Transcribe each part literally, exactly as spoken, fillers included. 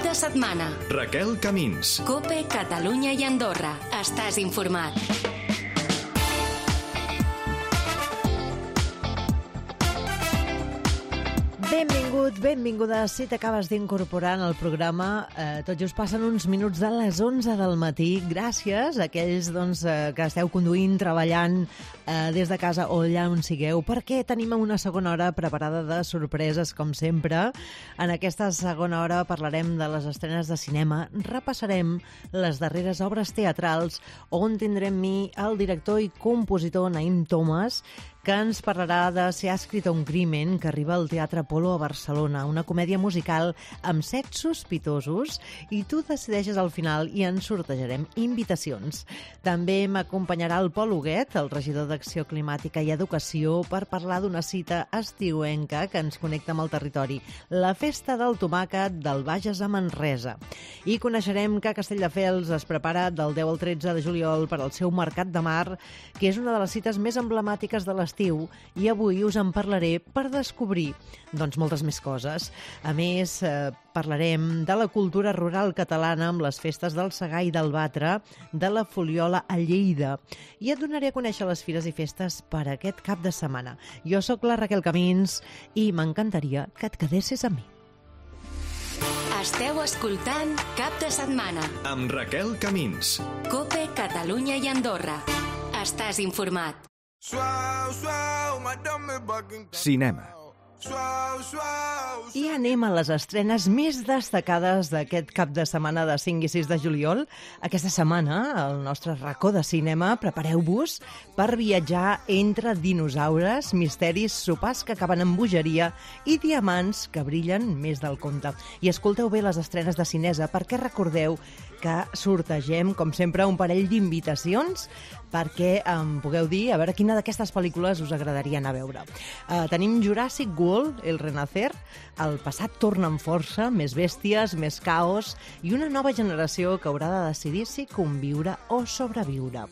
de setmana. Raquel Camins. COPE, Catalunya i Andorra. Estàs informat. Benvingut, benvinguda. Si t'acabes d'incorporar en el programa, eh, tot just passen uns minuts de les onze del matí. Gràcies a aquells doncs, eh, que esteu conduint, treballant eh, des de casa o allà on sigueu, perquè tenim una segona hora preparada de sorpreses, com sempre. En aquesta segona hora parlarem de les estrenes de cinema, repassarem les darreres obres teatrals, on tindrem mi el director i compositor Naim Thomas, que ens parlarà de Si ha escrit un crimen, que arriba al Teatre Apolo a Barcelona, una comèdia musical amb set sospitosos, i tu decideixes al final i ens sortejarem invitacions. També m'acompanyarà el Pol Huguet, el regidor d'Acció Climàtica i Educació, per parlar d'una cita estiuenca que ens connecta amb el territori, la Festa del Tomàquet del Bages a Manresa. I coneixerem que Castelldefels es prepara del deu al tretze de juliol per al seu Mercat de Mar, que és una de les cites més emblemàtiques de l'estiu, i avui us en parlaré per descobrir doncs, moltes més coses. A més, eh, parlarem de la cultura rural catalana amb les festes del Segar i del Batre, de la Foliola a Lleida, i et donaré a conèixer les fires i festes per aquest cap de setmana. Jo sóc la Raquel Camins i m'encantaria que et quedessis amb mi. Esteu escoltant Cap de Setmana amb Raquel Camins. COPE, Catalunya i Andorra. Estàs informat. Cinema. I anem a les estrenes més destacades d'aquest cap de setmana de cinc i sis de juliol. Aquesta setmana, al nostre racó de cinema, prepareu-vos per viatjar entre dinosaures, misteris, sopars que acaben amb bogeria i diamants que brillen més del compte. I escolteu bé les estrenes de Cinesa, perquè recordeu que sortegem, com sempre, un parell d'invitacions perquè em pugueu dir a veure quina d'aquestes pel·lícules us agradaria anar a veure. Uh, tenim Jurassic World, El Renacer, el passat torna amb força, més bèsties, més caos i una nova generació que haurà de decidir si conviure o sobreviure.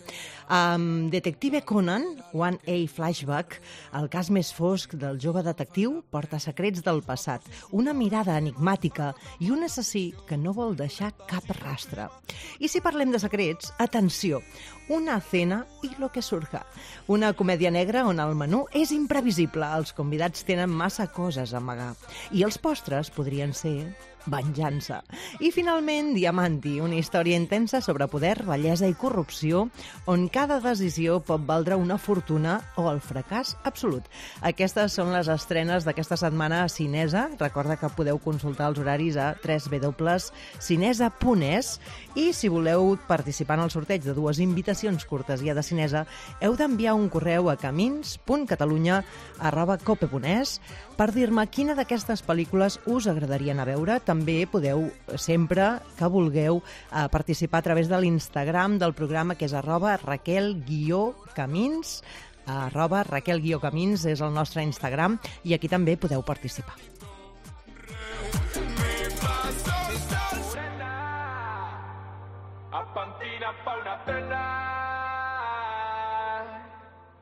Um, Detective Conan, One A Flashback, el cas més fosc del jove detectiu porta secrets del passat, una mirada enigmàtica i un assassí que no vol deixar cap rastre. I si parlem de secrets, atenció, Una cena y lo que surja. Una comèdia negra on el menú és imprevisible, els convidats tenen massa coses a amagar i els postres podrien ser venjança. I finalment, Diamanti, una història intensa sobre poder, bellesa i corrupció, on cada decisió pot valdre una fortuna o el fracàs absolut. Aquestes són les estrenes d'aquesta setmana a Cinesa. Recorda que podeu consultar els horaris a w w w punt cinesa punt es i si voleu participar en el sorteig de dues invitacions cortesia de Cinesa, heu d'enviar un correu a camins punt catalunya arroba cope punt es per dir-me quina d'aquestes pel·lícules us agradaria anar a veure. També podeu, sempre que vulgueu, eh, participar a través de l'Instagram del programa, que és arroba raquel-camins, arroba raquel-camins és el nostre Instagram, i aquí també podeu participar.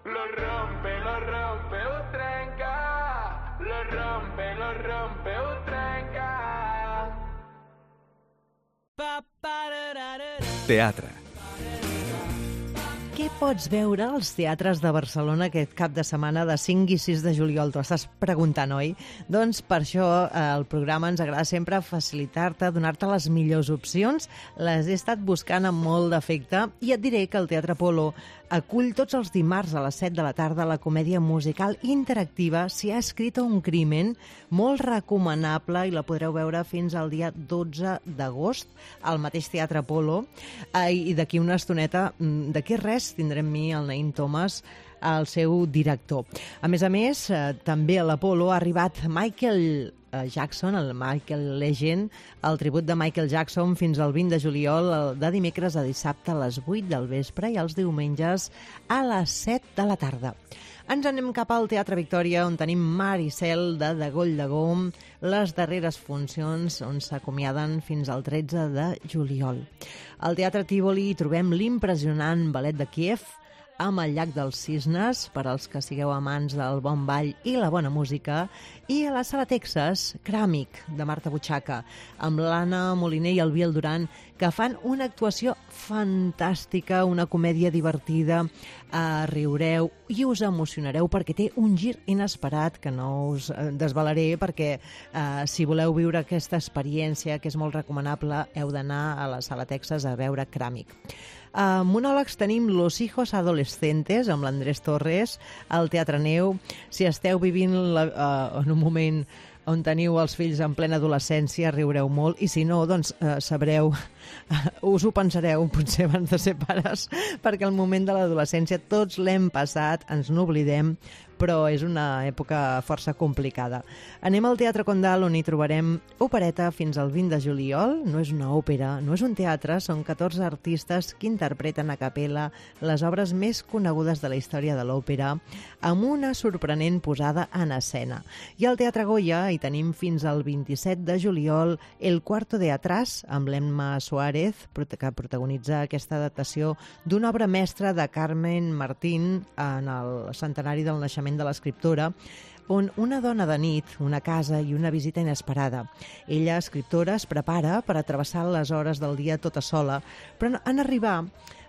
Lo rompe, lo rompe, ho trenca. Lo rompe, lo rompe, ho trenca. Teatre. Què pots veure als teatres de Barcelona aquest cap de setmana de cinc i sis de juliol? T'ho estàs preguntant, oi? Doncs per això el programa ens agrada sempre facilitar-te, donar-te les millors opcions. Les he estat buscant amb molt d'afecte i et diré que el Teatre Apolo acull tots els dimarts a les set de la tarda la comèdia musical interactiva Si ha escrit un crimen, molt recomanable, i la podreu veure fins al dia dotze d'agost al mateix Teatre Apolo. I d'aquí una estoneta, d'aquí res, tindrem mi, el Naim Thomas, el seu director. A més a més, eh, també a l'Apolo ha arribat Michael Jackson, el Michael Legend, el tribut de Michael Jackson fins al vint de juliol, de dimecres a dissabte a les vuit del vespre i els diumenges a les set de la tarda. Ens anem cap al Teatre Victòria, on tenim Maricel de Degoll de Gom, les darreres funcions on s'acomiaden fins al tretze de juliol. Al Teatre Tívoli hi trobem l'impressionant Ballet de Kíev, amb el Llac dels Cisnes, per als que sigueu amants del bon ball i la bona música, i a la Sala Texas, Cràmic, de Marta Butxaca, amb l'Anna Moliner i el Biel Duran, que fan una actuació fantàstica, una comèdia divertida, eh, riureu i us emocionareu perquè té un gir inesperat que no us desvelaré, perquè eh, si voleu viure aquesta experiència, que és molt recomanable, heu d'anar a la Sala Texas a veure Cràmic. A monòlegs tenim Los hijos adolescentes, amb l'Andrés Torres, al Teatre Neu. Si esteu vivint la, uh, en un moment on teniu els fills en plena adolescència, riureu molt, i si no, doncs eh, sabreu, us ho pensareu potser abans de ser pares, perquè el moment de l'adolescència tots l'hem passat, ens n'oblidem, però és una època força complicada. Anem al Teatre Condal, on hi trobarem opereta fins al vint de juliol. No és una òpera, no és un teatre, són catorze artistes que interpreten a capella les obres més conegudes de la història de l'òpera, amb una sorprenent posada en escena. I al Teatre Goya hi tenim fins al vint-i-set de juliol El cuarto de atrás, amb l'Emma Suárez, que protagonitza aquesta adaptació d'una obra mestra de Carmen Martín en el centenari del naixement de l'escriptora, on una dona de nit, una casa i una visita inesperada. Ella, escriptora, es prepara per a travessar les hores del dia tota sola, però en arribar,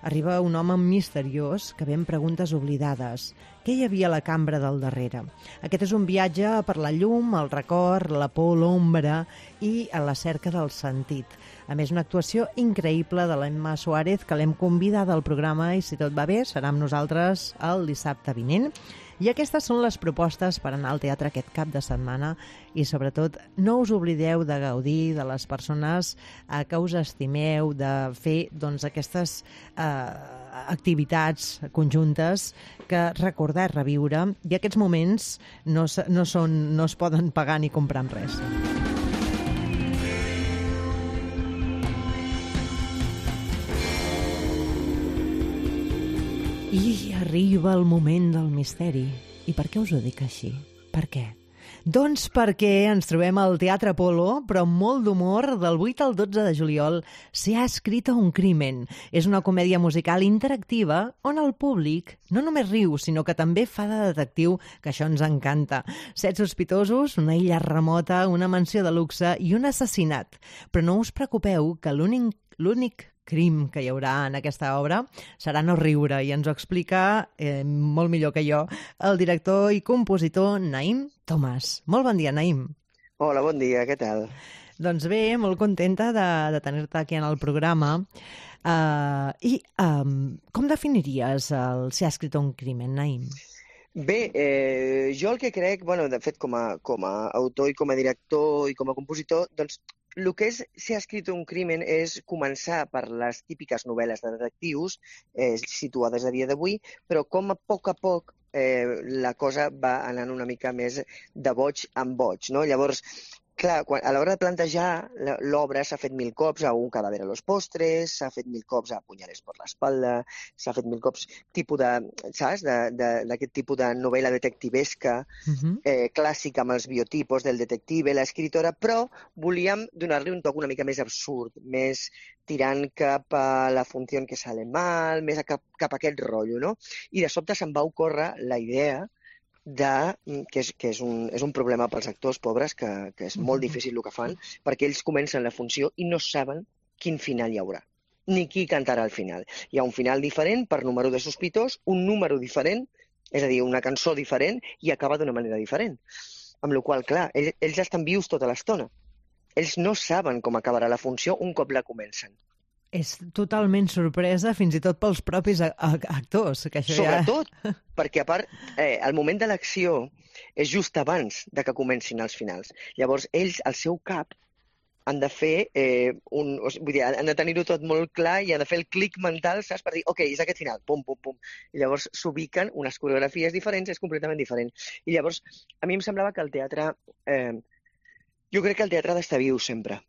arriba un home misteriós que ve amb preguntes oblidades. Què hi havia a la cambra del darrere? Aquest és un viatge per la llum, el record, la por, l'ombra i a la cerca del sentit. A més, una actuació increïble de l'Emma Suárez, que l'hem convidada al programa i, si tot va bé, serà amb nosaltres el dissabte vinent. I aquestes són les propostes per anar al teatre aquest cap de setmana i, sobretot, no us oblideu de gaudir de les persones eh, que us estimeu, de fer doncs, aquestes eh, activitats conjuntes que recordar, reviure, i aquests moments no, no, són, no es poden pagar ni comprar amb res. I arriba el moment del misteri. I per què us ho dic així? Per què? Doncs perquè ens trobem al Teatre Apolo, però amb molt d'humor, del vuit al dotze de juliol, Se ha escrito un crimen. És una comèdia musical interactiva on el públic no només riu, sinó que també fa de detectiu, que això ens encanta. Set sospitosos, una illa remota, una mansió de luxe i un assassinat. Però no us preocupeu, que l'únic l'únic crim que hi haurà en aquesta obra serà no riure, i ens ho explica eh, molt millor que jo el director i compositor Naïm Tomàs. Molt bon dia, Naïm. Hola, bon dia, què tal? Doncs bé, molt contenta de, de tenir-te aquí en el programa. Uh, I um, com definiries el Se ha escrito un crimen, Naïm? Bé, eh, jo el que crec, bueno, de fet, com a, com a autor i com a director i com a compositor, doncs el que és Se ha escrito un crimen és començar per les típiques novel·les de detectius eh, situades a dia d'avui, però com a poc a poc eh, la cosa va anant una mica més de boig en boig, no? Llavors, clar, quan, a l'hora de plantejar l'obra s'ha fet mil cops a un cadàver a los postres, s'ha fet mil cops a punyales per l'espalda, s'ha fet mil cops tipus de, saps, d'aquest tipus de novel·la detectivesca, uh-huh. eh, clàssica amb els biotipos del detective, l'escriptora, però volíem donar-li un toc una mica més absurd, més tirant cap a la funció que sale mal, més a cap, cap a aquest rotllo, no? I de sobte se'm va ocórrer la idea de, que, és, que és, un, és un problema pels actors pobres, que, que és molt difícil el que fan, perquè ells comencen la funció i no saben quin final hi haurà, ni qui cantarà al final. Hi ha un final diferent per número de sospitós, un número diferent, és a dir, una cançó diferent, i acaba d'una manera diferent. Amb la qual cosa, clar, ells, ells estan vius tota l'estona. Ells no saben com acabarà la funció un cop la comencen. És totalment sorpresa, fins i tot pels propis actors. Que això Sobretot, ja... perquè a part, eh, el moment de l'acció és just abans de que comencin els finals. Llavors, ells, al seu cap, han de fer eh, un... Vull dir, han de tenir-ho tot molt clar i han de fer el clic mental, saps? Per dir, ok, és aquest final, pum, pum, pum. I llavors s'ubiquen unes coreografies diferents, és completament diferent. I llavors, a mi em semblava que el teatre... Eh, jo crec que el teatre ha d'estar viu sempre.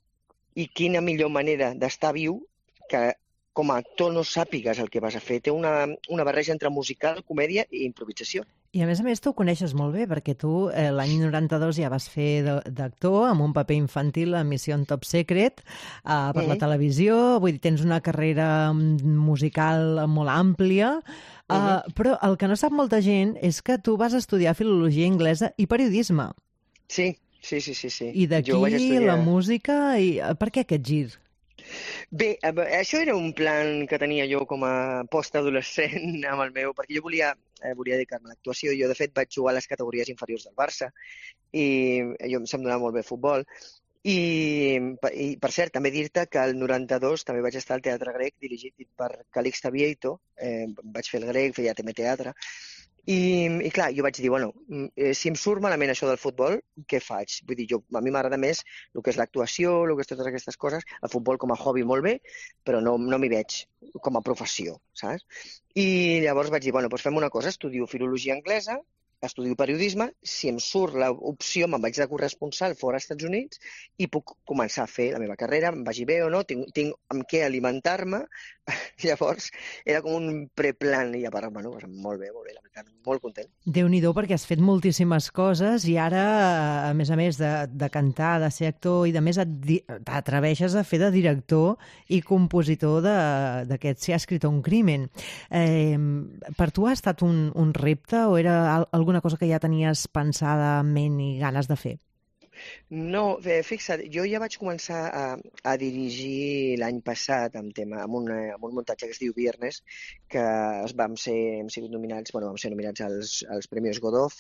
I quina millor manera d'estar viu que com a actor no sàpigues el que vas a fer. Té una, una barreja entre musical, comèdia i improvisació. I a més a més tu ho coneixes molt bé, perquè tu eh, l'any noranta-dos ja vas fer d'actor amb un paper infantil a Mission Top Secret eh, per mm-hmm. la televisió, vull dir, tens una carrera musical molt àmplia, eh, mm-hmm. però el que no sap molta gent és que tu vas estudiar filologia anglesa i periodisme. Sí, sí, sí, sí. sí. I d'aquí estudiar... la música, i per què aquest gir? Bé, això era un plan que tenia jo com a postadolescent amb el meu, perquè jo volia, eh, volia dedicar-me a l'actuació. Jo, de fet, vaig jugar a les categories inferiors del Barça i jo se'm donava molt bé futbol. I, i per cert, també dir-te que el noranta-dos també vaig estar al Teatre Grec dirigit per Calixte Vieito, eh, vaig fer el grec, feia també teatre. I, i clar, jo vaig dir, bueno, si em surt malament això del futbol, què faig? Vull dir, jo, a mi m'agrada més el que és l'actuació, el que és totes aquestes coses, el futbol com a hobby molt bé, però no, no m'hi veig com a professió, saps? I llavors vaig dir, bueno, doncs fem una cosa, estudio filologia anglesa, estudio periodisme, si em surt l'opció, me'n vaig de corresponsal fora als Estats Units i puc començar a fer la meva carrera, em vagi bé o no, tinc, tinc amb què alimentar-me. Llavors, era com un preplan i a part, bueno, molt bé, molt bé, la veritat, molt content. Déu-n'hi-do, perquè has fet moltíssimes coses i ara, a més a més de, de cantar, de ser actor i de més t'atreveixes a fer de director i compositor d'aquest Si ha escrit un crimen. Eh, per tu ha estat un, un repte o era alguna cosa que ja tenies pensada en ment i ganes de fer? No, fixa't, jo ja vaig començar a, a dirigir l'any passat amb, tema, amb, un, amb un muntatge que es diu Viernes, que vam ser, hem sigut nominats, bueno, vam ser nominats als, als Premis Godot,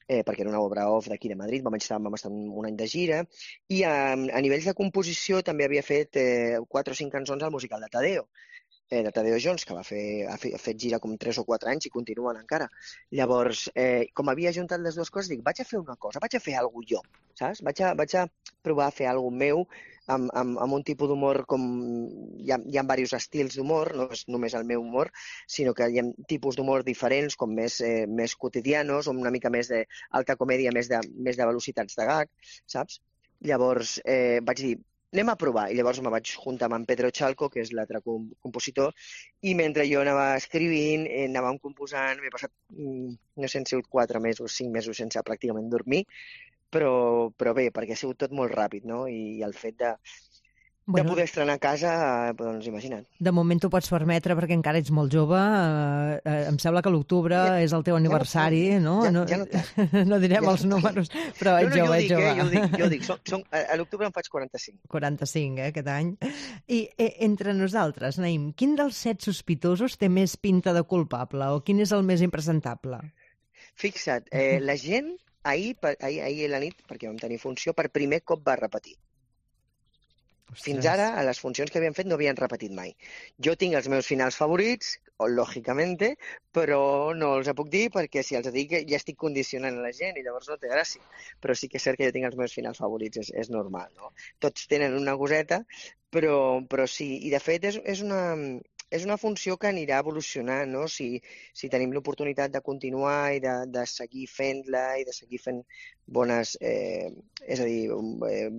eh, perquè era una obra off d'aquí de Madrid, vam estar, vam estar un, un any de gira, i a, a nivells de composició també havia fet eh, quatre o cinc cançons al musical de Tadeo, de Tadeo Jones, que va fer, ha fet gira com tres o quatre anys i continuen encara. Llavors, eh, com havia juntat les dues coses, dic, vaig a fer una cosa, vaig a fer alguna cosa jo, saps? Vaig a, vaig a provar a fer alguna cosa meu amb, amb, amb un tipus d'humor com... Hi ha, hi ha diversos estils d'humor, no és només el meu humor, sinó que hi ha tipus d'humor diferents, com més, eh, més quotidianos, o una mica més d'alta comèdia, més de, més de velocitats de gag, saps? Llavors, eh, vaig dir, anem a provar. I llavors me vaig juntar amb en Pedro Chalco, que és l'altre compositor, i mentre jo anava escrivint, eh, anàvem composant, m'he passat, no sé, han sigut quatre mesos, cinc mesos sense pràcticament dormir, però, però bé, perquè ha sigut tot molt ràpid, no? I el fet de, bueno, de poder estrenar a casa, doncs imagina't. De moment t'ho pots permetre perquè encara ets molt jove, eh, eh, em sembla que l'octubre ja, és el teu aniversari, ja no? Ja, no, ja no, no direm ja els no números, però ets no, no, jove, ets jove. Eh, jo dic, jo dic, som, som, a l'octubre em faig quaranta-cinc. quaranta-cinc, eh, aquest any. I eh, entre nosaltres, Naïm, quin dels set sospitosos té més pinta de culpable o quin és el més impresentable? Fixa't, eh, la gent ahir, ahir, ahir a la nit, perquè vam tenir funció, per primer cop va repetir. Ostres. Fins ara, a les funcions que havien fet no havien repetit mai. Jo tinc els meus finals favorits, lògicament, però no els puc dir perquè si els dic ja estic condicionant a la gent i llavors no té gràcia. Però sí que és cert que jo tinc els meus finals favorits, és, és normal, no? Tots tenen una coseta, però, però sí. I de fet és, és una... És una funció que anirà evolucionant, no? Si, si tenim l'oportunitat de continuar i de, de seguir fent-la i de seguir fent bones... Eh, és a dir, eh,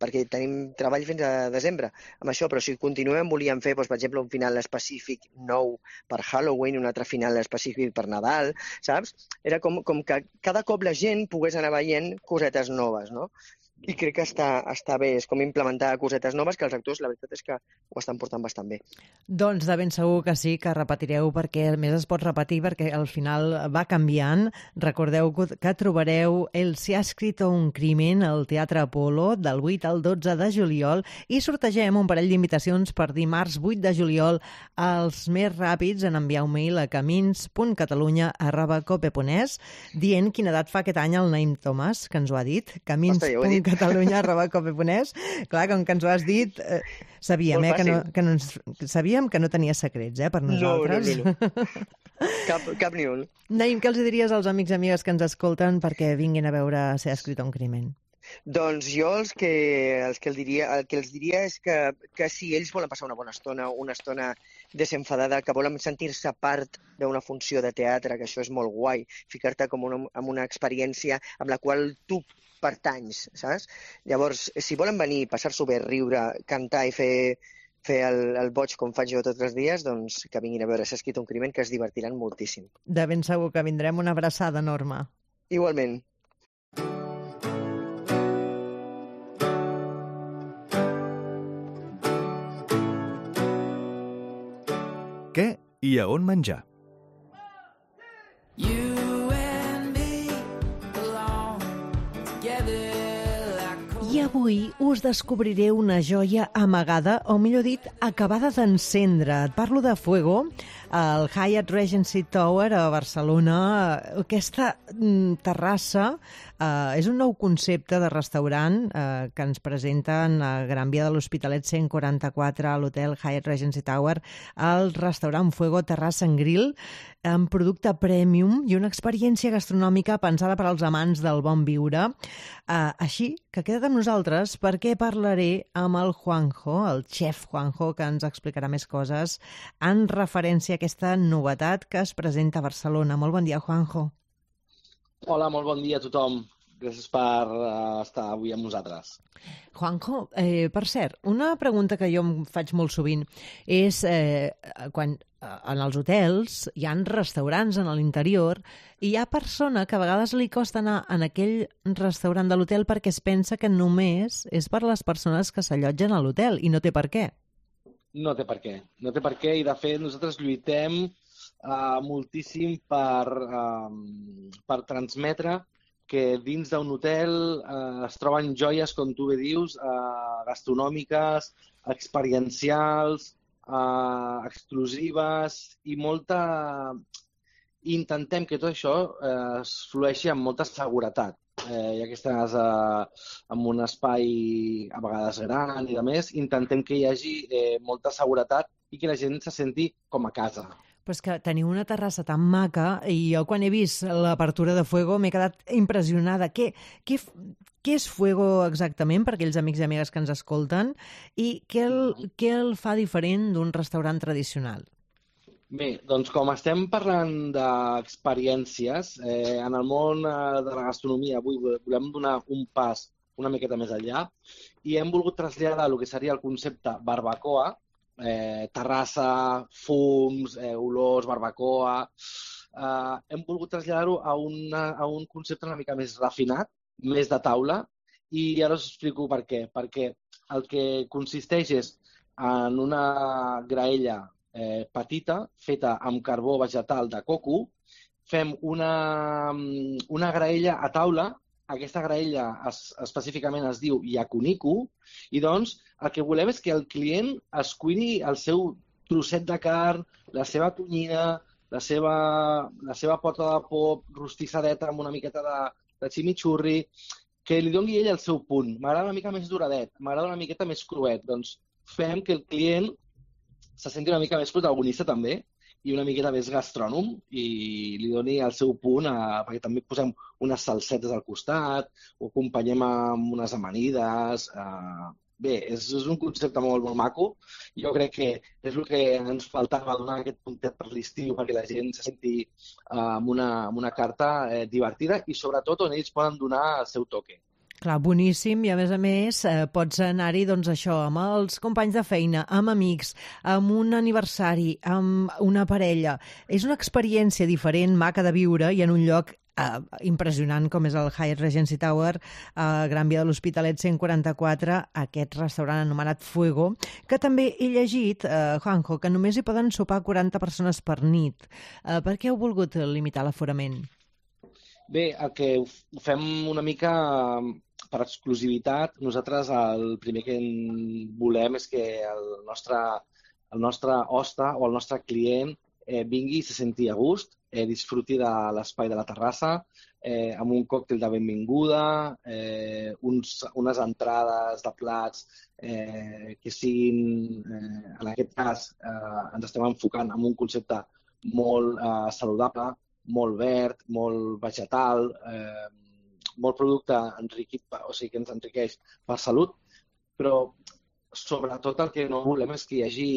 perquè tenim treball fins a desembre amb això, però si continuem volíem fer, doncs, per exemple, un final específic nou per Halloween, un altre final específic per Nadal, saps? Era com, com que cada cop la gent pogués anar veient cosetes noves, no? I crec que està, està bé, és com implementar cosetes noves que els actors, la veritat és que ho estan portant bastant bé. Doncs de ben segur que sí, que repetireu, perquè a més es pot repetir, perquè al final va canviant. Recordeu que trobareu el Si ha escrit un crimen al Teatre Apolo del vuit al dotze de juliol i sortegem un parell d'invitacions per dimarts vuit de juliol. Els més ràpids en enviar un mail a camins punt catalunya arroba cope punt es dient quina edat fa aquest any el Naïm Tomàs, que ens ho ha dit. camins punt catalunya arroba cope punt es. Clar, com que ens ho has dit, eh, sabíem, eh, que no, que no ens, sabíem que no tenia secrets, eh, per nosaltres. No, no, no. Cap, cap ni un. Naïm, què els diries als amics i amigues que ens escolten perquè vinguin a veure Si ha escrit un crimen? Doncs jo els que, els que, el diria, el que els diria és que, que si ells volen passar una bona estona, una estona desenfadada, que volen sentir-se part d'una funció de teatre, que això és molt guai, ficar-te com una, amb una experiència amb la qual tu pertanys, saps? Llavors, si volen venir, passar-s'ho bé, riure, cantar i fer fer el, el boig com faig jo tots els dies, doncs que vinguin a veure Si ha escrit un crimen, que es divertiran moltíssim. De ben segur que vindrem. Una abraçada, Norma. Igualment. Què i a on menjar? I avui us descobriré una joia amagada, o millor dit, acabada d'encendre. Et parlo de Fuego, el Hyatt Regency Tower a Barcelona. Aquesta mm, terrassa eh, és un nou concepte de restaurant eh, que ens presenten a Gran Via de l'Hospitalet cent quaranta-quatre a l'hotel Hyatt Regency Tower, el restaurant Fuego Terrassa and Grill, amb producte premium i una experiència gastronòmica pensada per als amants del bon viure. Uh, així que queda't amb nosaltres perquè parlaré amb el Juanjo, el xef Juanjo, que ens explicarà més coses en referència a aquesta novetat que es presenta a Barcelona. Molt bon dia, Juanjo. Hola, molt bon dia a tothom. Gràcies per uh, estar avui amb nosaltres. Juanjo, eh, per cert, una pregunta que jo em faig molt sovint és eh, quan en els hotels hi ha restaurants en l'interior i hi ha persona que a vegades li costa anar en aquell restaurant de l'hotel perquè es pensa que només és per les persones que s'allotgen a l'hotel i no té per què. No té per què. No té per què i, de fet, nosaltres lluitem uh, moltíssim per, uh, per transmetre que dins d'un hotel eh, es troben joies, com tu bé dius, eh, gastronòmiques, experiencials, eh, exclusives i molta... Intentem que tot això eh, es flueixi amb molta seguretat. Eh, ja que estàs eh, en un espai a vegades gran i de més, intentem que hi hagi eh, molta seguretat i que la gent se senti com a casa. Però és que teniu una terrassa tan maca i jo quan he vist l'apertura de Fuego m'he quedat impressionada. Què, què, què és Fuego exactament per aquells amics i amigues que ens escolten i què el, què el fa diferent d'un restaurant tradicional? Bé, doncs com estem parlant d'experiències, eh, en el món eh, de la gastronomia avui volem donar un pas una miqueta més enllà i hem volgut traslladar el que seria el concepte barbacoa, Eh, terrassa, fums, eh, olors, barbacoa... Eh, hem volgut traslladar-ho a, una, a un concepte una mica més refinat, més de taula, i ara us explico per què. Perquè el que consisteix és en una graella eh, petita, feta amb carbó vegetal de coco, fem una, una graella a taula. Aquesta graella es, específicament es diu yakuniku i doncs el que volem és que el client es cuini el seu trosset de carn, la seva tonyina, la seva, la seva pota de pop rostissadeta amb una miqueta de, de chimichurri, que li doni ell el seu punt. M'agrada una mica més duradet, m'agrada una miqueta més cruet. Doncs fem que el client se senti una mica més protagonista també i una miqueta més gastrònom i li doni el seu punt, a, perquè també posem unes salsetes al costat, ho acompanyem amb unes amanides. A... Bé, és, és un concepte molt, molt maco. Jo crec que és el que ens faltava, donar aquest puntet per l'estiu perquè la gent se senti uh, amb, una, amb una carta eh, divertida i sobretot on ells poden donar el seu toque. Clar, boníssim, i a més a més eh, pots anar-hi doncs això, amb els companys de feina, amb amics, amb un aniversari, amb una parella. És una experiència diferent, maca de viure i en un lloc eh, impressionant com és el Hyatt Regency Tower a Gran Via de l'Hospitalet cent quaranta-quatre, aquest restaurant anomenat Fuego, que també he llegit, eh, Juanjo, que només hi poden sopar quaranta persones per nit. Eh, per què heu volgut limitar l'aforament? Bé, el que ho fem una mica per exclusivitat. Nosaltres el primer que volem és que el nostre, el nostre hoste o el nostre client eh, vingui i se senti a gust, eh, disfruti de l'espai de la terrassa, eh, amb un còctel de benvinguda, eh, uns, unes entrades de plats eh, que siguin, eh, en aquest cas, eh, ens estem enfocant en un concepte molt eh, saludable, molt verd, molt vegetal, eh, molt producte enriquit, o sigui que ens enriqueix per salut, però sobretot el que no volem és que hi hagi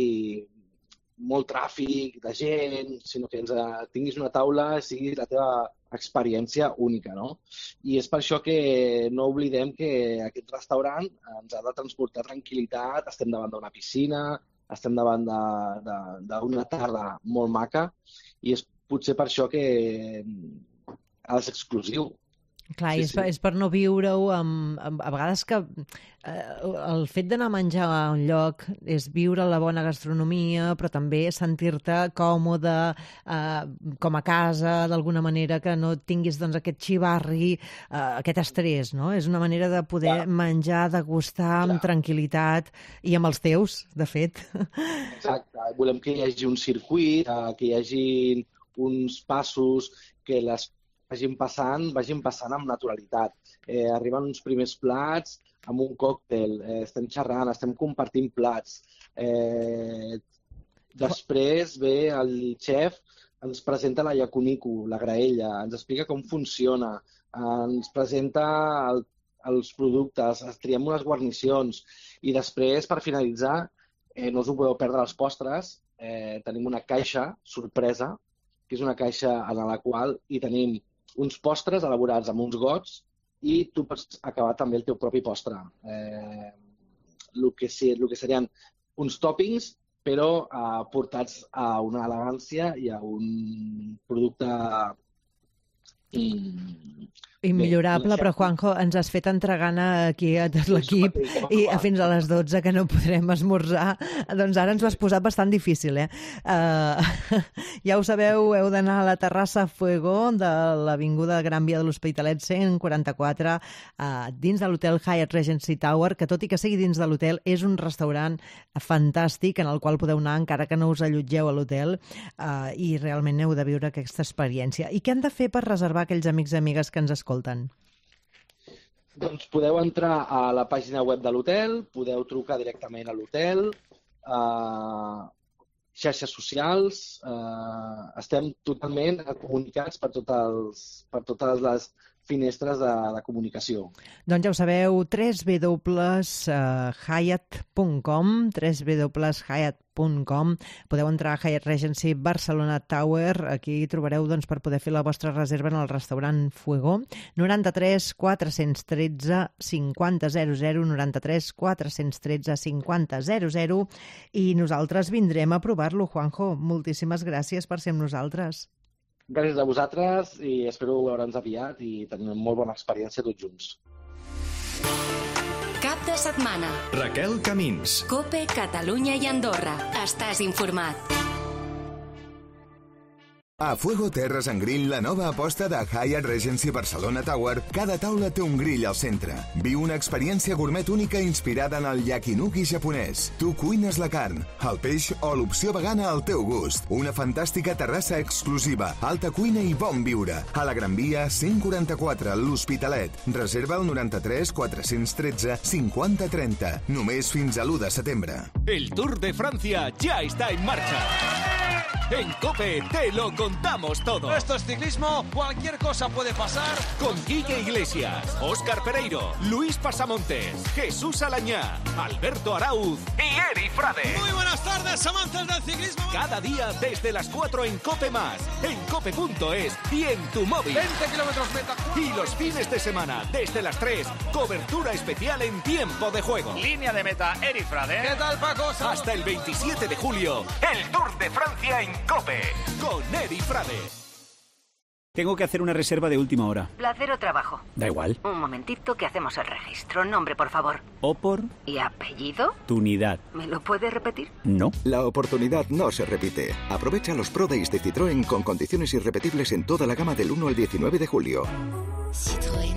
molt tràfic de gent, sinó que ens tinguis una taula i sigui la teva experiència única, no? I és per això que no oblidem que aquest restaurant ens ha de transportar tranquil·litat, estem davant d'una piscina, estem davant d'una tarda molt maca i és potser per això que ha de ser exclusiu. Clar, sí, és, sí. Per, és per no viure-ho amb, amb... A vegades que eh, el fet d'anar a menjar a un lloc és viure la bona gastronomia, però també sentir-te còmode, eh, com a casa, d'alguna manera, que no tinguis doncs, aquest xivarri, eh, aquest estrès, no? És una manera de poder Clar. menjar, degustar amb Clar. tranquil·litat i amb els teus, de fet. Exacte. Volem que hi hagi un circuit, que hi hagi uns passos, que les vagin passant, vagin passant amb naturalitat. Eh, arriben uns primers plats amb un còctel, eh, estem xerrant, estem compartint plats. Eh, després ve el xef, ens presenta la yakuniku, la graella, ens explica com funciona, ens presenta el, els productes, triem unes guarnicions i després, per finalitzar, eh, no us ho podeu perdre els postres, eh, tenim una caixa sorpresa, que és una caixa en la qual hi tenim uns postres elaborats amb uns gots i tu pots acabar també el teu propi postre. Eh, el, que sí, el que serien uns tòpings, però eh, portats a una elegància i a un producte mm, immillorable, però Juanjo, ens has fet entregar aquí a tot l'equip i fins a les dotze que no podrem esmorzar, doncs ara ens ho has posat bastant difícil, eh? Uh, ja ho sabeu, heu d'anar a la terrassa Fuego de l'avinguda Gran Via de l'Hospitalet cent quaranta-quatre, uh, dins de l'hotel Hyatt Regency Tower, que tot i que sigui dins de l'hotel, és un restaurant fantàstic en el qual podeu anar encara que no us allotgeu a l'hotel, uh, i realment heu de viure aquesta experiència. I què han de fer per reservar aquells amics i amigues que ens escolten? Doncs podeu entrar a la pàgina web de l'hotel, podeu trucar directament a l'hotel, eh, xarxes socials, eh, estem totalment comunicats per, tot els, per totes les finestres de, de comunicació. Doncs ja ho sabeu, w w w punt hyatt punt com, w w w punt hyatt punt com. Podeu entrar a Hyatt Regency Barcelona Tower, aquí trobareu doncs, per poder fer la vostra reserva en el restaurant Fuego. noranta-tres quatre-cents tretze cinquanta zero zero, noranta-tres quatre-cents tretze cinquanta zero zero, i nosaltres vindrem a provar-lo, Juanjo. Moltíssimes gràcies per ser amb nosaltres. Gràcies a vosaltres i espero veure'ns aviat i tenir una molt bona experiència tots junts. Cap de setmana. Raquel Camins. COPE, Catalunya i Andorra. Estàs informat. A Fuego Terres and Grill, la nova aposta de Hyatt Regency Barcelona Tower, cada taula té un grill al centre. Viu una experiència gourmet única inspirada en el yakinuki japonès. Tu cuines la carn, el peix o l'opció vegana al teu gust. Una fantàstica terrassa exclusiva, alta cuina i bon viure. A la Gran Via cent quaranta-quatre, l'Hospitalet. Reserva el noranta-tres quatre-cents tretze cinquanta trenta. Només fins a l'u de setembre. El Tour de Francia ya está en marcha. En COPE te lo contamos todo. Esto es ciclismo, cualquier cosa puede pasar. Con Quique Iglesias, Óscar Pereiro, Luis Pasamontes, Jesús Alañá, Alberto Arauz y Eri Frade. Muy buenas tardes, amantes del ciclismo. Cada día desde las cuatro en COPE Más, en cope punto es y en tu móvil. veinte kilómetros meta. Y los fines de semana, desde las tres, cobertura especial en tiempo de juego. Línea de meta, Eri Frade. ¿Qué tal, Paco? Hasta el veintisiete de julio, el Tour de Francia en COPE, con Eri Frade. Tengo que hacer una reserva de última hora. ¿Placer o trabajo? Da igual. Un momentito que hacemos el registro. Nombre, por favor. ¿Opor? ¿Y apellido? Tunidad. ¿Me lo puede repetir? No. La oportunidad no se repite. Aprovecha los Pro Days de Citroën con condiciones irrepetibles en toda la gama del uno al diecinueve de julio. Citroën.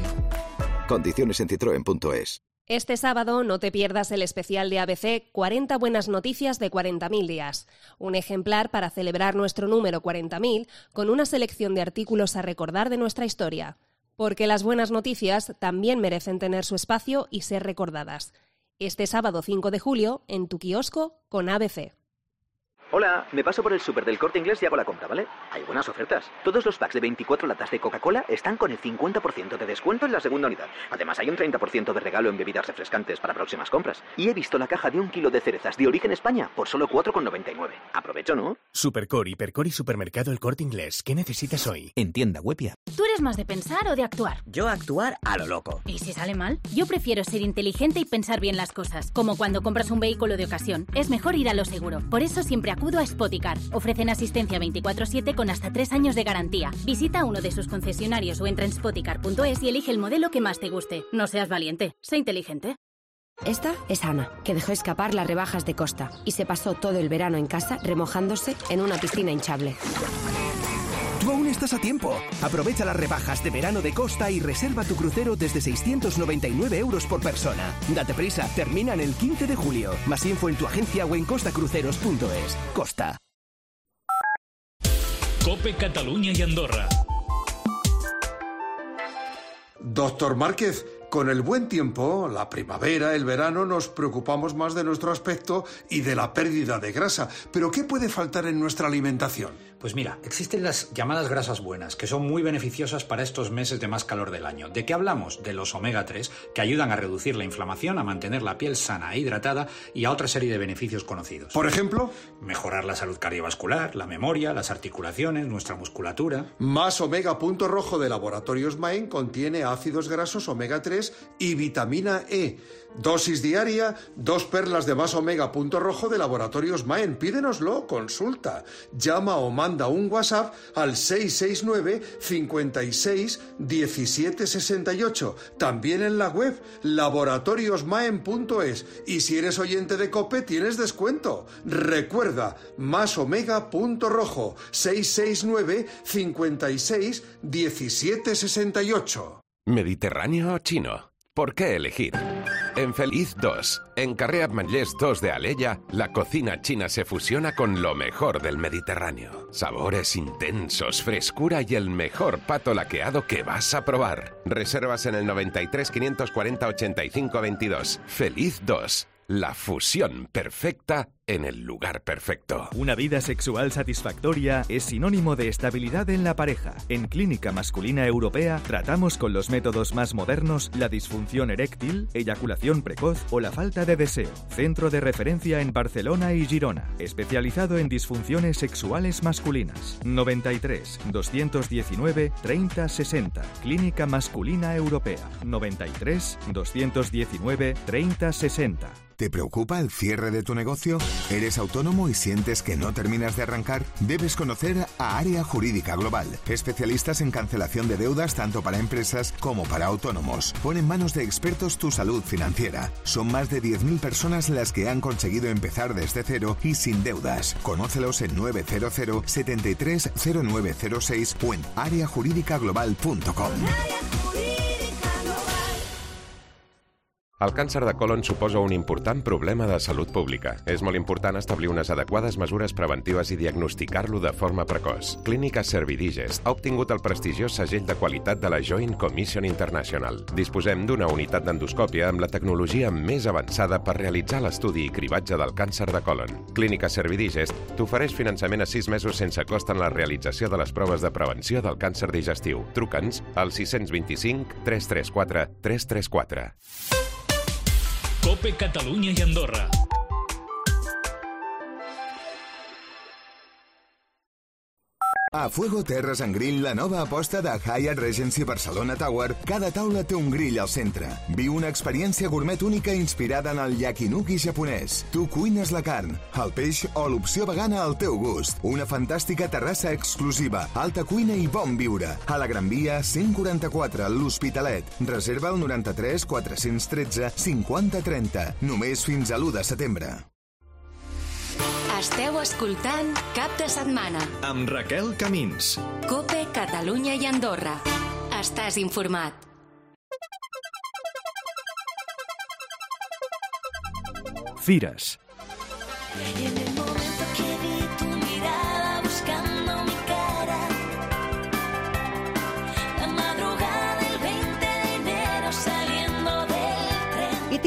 Condiciones en citroen punto es. Este sábado no te pierdas el especial de A B C cuarenta buenas noticias de cuarenta mil días. Un ejemplar para celebrar nuestro número cuarenta mil con una selección de artículos a recordar de nuestra historia. Porque las buenas noticias también merecen tener su espacio y ser recordadas. Este sábado cinco de julio en tu kiosco con A B C. Hola, me paso por el súper del Corte Inglés y hago la compra, ¿vale? Hay buenas ofertas. Todos los packs de veinticuatro latas de Coca-Cola están con el cincuenta por ciento de descuento en la segunda unidad. Además, hay un treinta por ciento de regalo en bebidas refrescantes para próximas compras. Y he visto la caja de un kilo de cerezas de origen España por solo cuatro con noventa y nueve. Aprovecho, ¿no? Supercor, Hipercor y Supermercado El Corte Inglés. ¿Qué necesitas hoy? En tienda web y app. ¿Tú eres ¿Eres más de pensar o de actuar? Yo actuar a lo loco. ¿Y si sale mal? Yo prefiero ser inteligente y pensar bien las cosas. Como cuando compras un vehículo de ocasión. Es mejor ir a lo seguro. Por eso siempre acudo a Spoticar. Ofrecen asistencia veinticuatro siete con hasta tres años de garantía. Visita uno de sus concesionarios o entra en spoticar punto es y elige el modelo que más te guste. No seas valiente, sé inteligente. Esta es Ana, que dejó escapar las rebajas de Costa y se pasó todo el verano en casa remojándose en una piscina hinchable. Tú aún estás a tiempo. Aprovecha las rebajas de verano de Costa y reserva tu crucero desde seiscientos noventa y nueve euros por persona. Date prisa, terminan el quince de julio. Más info en tu agencia o en costacruceros punto es. Costa. COPE Cataluña y Andorra. Doctor Márquez, con el buen tiempo, la primavera, el verano, nos preocupamos más de nuestro aspecto y de la pérdida de grasa. ¿Pero qué puede faltar en nuestra alimentación? Pues mira, existen las llamadas grasas buenas, que son muy beneficiosas para estos meses de más calor del año. ¿De qué hablamos? De los omega tres, que ayudan a reducir la inflamación, a mantener la piel sana e hidratada y a otra serie de beneficios conocidos. ¿Por ejemplo? Mejorar la salud cardiovascular, la memoria, las articulaciones, nuestra musculatura. Más Omega Punto Rojo de Laboratorios Maen contiene ácidos grasos omega tres y vitamina E. Dosis diaria, dos perlas de Más Omega Punto Rojo de Laboratorios Maen. Pídenoslo, consulta. Llama o manda un WhatsApp al seis seis nueve, cincuenta y seis, diecisiete sesenta y ocho. También en la web laboratorios maen punto es. Y si eres oyente de COPE, tienes descuento. Recuerda, Más Omega Punto Rojo, seis seis nueve, cincuenta y seis, diecisiete sesenta y ocho. ¿Mediterráneo o chino? ¿Por qué elegir? En Feliz dos, en Carrer Ametllers dos de Alella, la cocina china se fusiona con lo mejor del Mediterráneo. Sabores intensos, frescura y el mejor pato laqueado que vas a probar. Reservas en el noventa y tres, quinientos cuarenta, ochenta y cinco veintidós. Feliz dos, la fusión perfecta en el lugar perfecto. Una vida sexual satisfactoria es sinónimo de estabilidad en la pareja. En Clínica Masculina Europea tratamos con los métodos más modernos la disfunción eréctil, eyaculación precoz o la falta de deseo. Centro de referencia en Barcelona y Girona, especializado en disfunciones sexuales masculinas. noventa y tres, doscientos diecinueve, treinta sesenta. Clínica Masculina Europea. noventa y tres, doscientos diecinueve, treinta sesenta. ¿Te preocupa el cierre de tu negocio? ¿Eres autónomo y sientes que no terminas de arrancar? Debes conocer a Área Jurídica Global, especialistas en cancelación de deudas tanto para empresas como para autónomos. Pon en manos de expertos tu salud financiera. Son más de diez mil personas las que han conseguido empezar desde cero y sin deudas. Conócelos en nueve cero cero, setenta y tres, cero nueve cero seis o en área jurídica global punto com. El càncer de colon suposa un important problema de salut pública. És molt important establir unes adequades mesures preventives i diagnosticar-lo de forma precoç. Clínica Servidigest ha obtingut el prestigiós segell de qualitat de la Joint Commission International. Disposem d'una unitat d'endoscòpia amb la tecnologia més avançada per realitzar l'estudi i cribatge del càncer de colon. Clínica Servidigest t'ofereix finançament a sis mesos sense cost en la realització de les proves de prevenció del càncer digestiu. Truca'ns al sis dos cinc, tres tres quatre, tres tres quatre. COPE Catalunya i Andorra. A Fuego Terres and Grill, la nova aposta de Hyatt Regency Barcelona Tower, cada taula té un grill al centre. Viu una experiència gourmet única inspirada en el yakinuki japonès. Tu cuines la carn, el peix o l'opció vegana al teu gust. Una fantàstica terrassa exclusiva, alta cuina i bon viure. A la Gran Via, cent quaranta-quatre, l'Hospitalet. Reserva el noranta-tres, quatre-cents tretze, cinquanta trenta. Només fins a l'u de setembre. Esteu escoltant Cap de Setmana amb Raquel Camins. COPE Catalunya i Andorra. Estàs informat. Fires.